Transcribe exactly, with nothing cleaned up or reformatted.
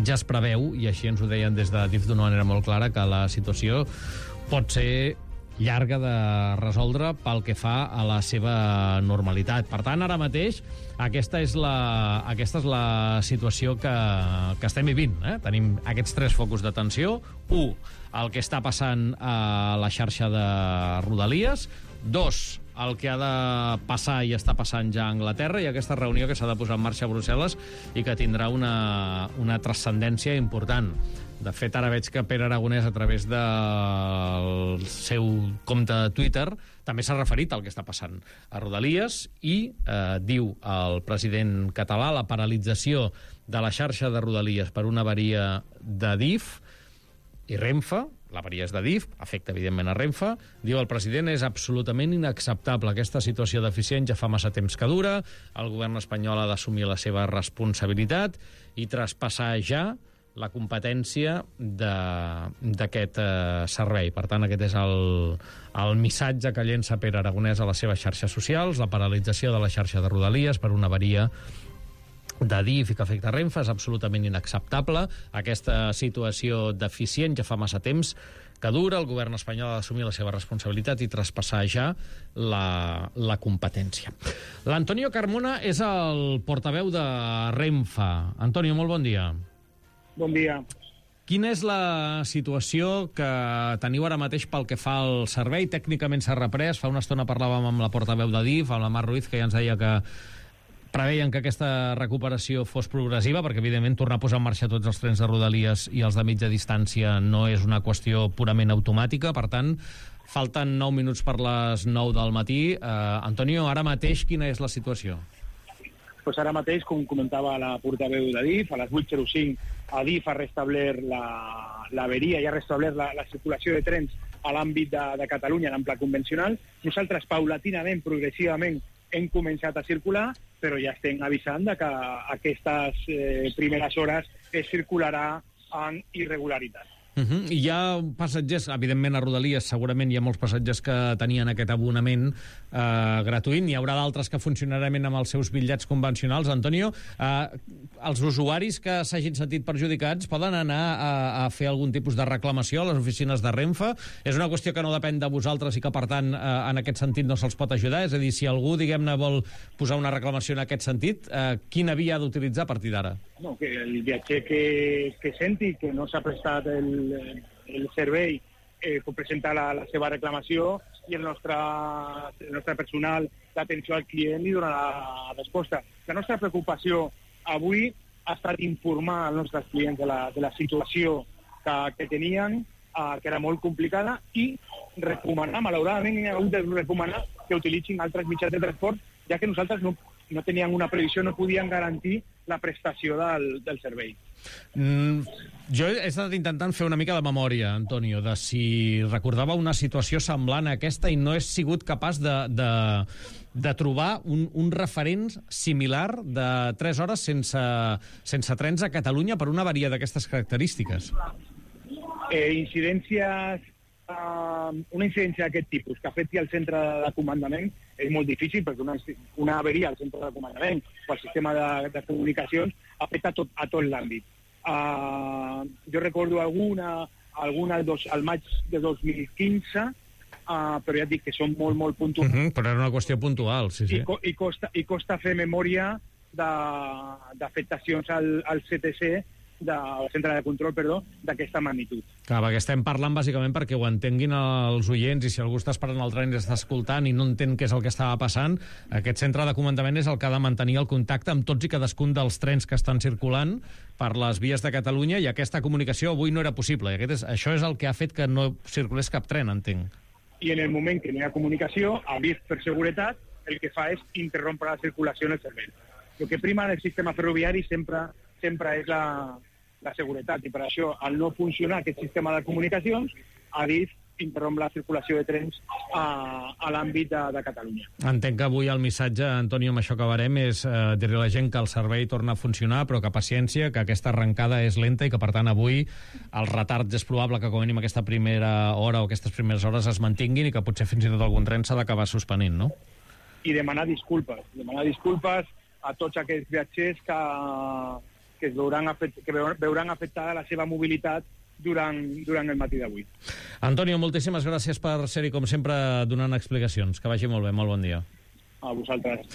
ja es preveu, i així ens ho deien des de D I F d'una manera molt clara, que la situació pot ser llarga de resoldre pel que fa a la seva normalitat. Per tant, ara mateix, aquesta és la, aquesta és la situació que, que estem vivint. Eh? Tenim aquests tres focus d'atenció. Un, el que està passant a la xarxa de Rodalies. Dos, el que ha de passar i està passant ja a Anglaterra, i aquesta reunió que s'ha de posar en marxa a Brussel·les i que tindrà una, una transcendència important. De fet, ara veig que Pere Aragonès, a través del seu compte de Twitter, també s'ha referit al que està passant a Rodalies i eh, diu el president català la paralització de la xarxa de Rodalies per una avaria de D I F i Renfe, l'avaria és de D I F, afecta evidentment a Renfe, diu el president és absolutament inacceptable. Aquesta situació deficient ja fa massa temps que dura, el govern espanyol ha d'assumir la seva responsabilitat i traspassar ja la competència d'aquest eh, servei. Per tant, aquest és el, el missatge que llença Pere Aragonès a les seves xarxes socials, la paralització de la xarxa de Rodalies per una avaria de D I F i que afecta Renfe és absolutament inacceptable. Aquesta situació deficient ja fa massa temps que dura, el govern espanyol ha d'assumir la seva responsabilitat i traspassar ja la, la competència. L'Antonio Carmona és el portaveu de Renfe. Antonio, molt bon dia. Bon dia. Quina és la situació que teniu ara mateix pel que fa al servei? Tècnicament s'ha reprès. Fa una estona parlàvem amb la portaveu de D I F, amb la Mar Ruiz, que ja ens deia que preveien que aquesta recuperació fos progressiva, perquè, evidentment, tornar a posar en marxa tots els trens de Rodalies i els de mitja distància no és una qüestió purament automàtica. Per tant, falten nou minuts per les nou del matí. Eh, Antonio, ara mateix quina és la situació? Pues ara mateix, com comentava la portaveu de D I F, a les vuit zero cinc a D I F ha restablert l'averia i ha restablert la, la circulació de trens a l'àmbit de, de Catalunya en ample convencional. Nosaltres, paulatinament, progressivament, hem començat a circular, però ja estem avisant de que aquestes eh, primeres hores es circularà en irregularitat. Uh-huh. I hi ha passatgers, evidentment a Rodalies segurament hi ha molts passatgers que tenien aquest abonament eh, gratuït, n'hi haurà d'altres que funcionaran amb els seus bitllets convencionals. Antonio, eh, els usuaris que s'hagin sentit perjudicats poden anar a, a fer algun tipus de reclamació a les oficines de Renfe? És una qüestió que no depèn de vosaltres i que, per tant, eh, en aquest sentit no se'ls pot ajudar? És a dir, si algú, diguem-ne, vol posar una reclamació en aquest sentit, eh, quina via ha d'utilitzar a partir d'ara? No, que el viatger que, que senti que no s'ha prestat el, el servei eh, pot presentar la, la seva reclamació i el nostre, el nostre personal d'atenció al client li donarà la resposta. La nostra preocupació avui ha estat informar als nostres clients de la, de la situació que, que tenien, eh, que era molt complicada, i recomanar, malauradament, hem hagut de recomanar que utilitzin altres mitjans de transport, ja que nosaltres no, no teníem una previsió, no podien garantir la prestació del, del servei. Mm, jo he estat intentant fer una mica de memòria, Antonio, de si recordava una situació semblant a aquesta i no he sigut capaç de, de, de trobar un, un referent similar de tres hores sense, sense trens a Catalunya per una avaria d'aquestes característiques. Eh, incidències Uh, una incidència d'aquest tipus que afecti al centre de comandament és molt difícil, perquè una, una averia al centre de comandament o al sistema de, de comunicacions afecta a tot, a tot l'àmbit. Uh, jo recordo alguna, alguna dos, al maig de dos mil quinze, uh, però ja et dic que són molt, molt puntuals. Uh-huh, però era una qüestió puntual, sí, sí. I, co i, costa, i costa fer memòria d'afectacions al, al C T C, del centre de control, perdó, d'aquesta magnitud. Clar, perquè estem parlant bàsicament perquè ho entenguin els oients, i si algú està esperant el tren i està escoltant i no entén què és el que estava passant, aquest centre de comandament és el que ha de mantenir el contacte amb tots i cadascun dels trens que estan circulant per les vies de Catalunya, i aquesta comunicació avui no era possible. I aquest és, això és el que ha fet que no circulés cap tren, entenc. I en el moment que no hi ha comunicació, a D I F, per seguretat, el que fa és interrompre la circulació en el servei. El que prima en el sistema ferroviari sempre, sempre és la la seguretat, i per això, al no funcionar aquest sistema de comunicacions, a D I F interromp la circulació de trens a, a l'àmbit de, de Catalunya. Entenc que avui el missatge, Antonio, amb això acabarem, és eh, dir-li a la gent que el servei torna a funcionar, però que paciència, que aquesta arrencada és lenta i que, per tant, avui el retard és probable que, com a mínim, aquesta primera hora o aquestes primeres hores es mantinguin i que potser fins i tot algun tren s'ha d'acabar suspenint, no? I demanar disculpes, demanar disculpes a tots aquests viatgers que que, es veuran, afect que veuran afectada la seva mobilitat durant, durant el matí d'avui. Antonio, moltíssimes gràcies per ser-hi, com sempre, donant explicacions. Que vagi molt bé, molt bon dia. A vosaltres.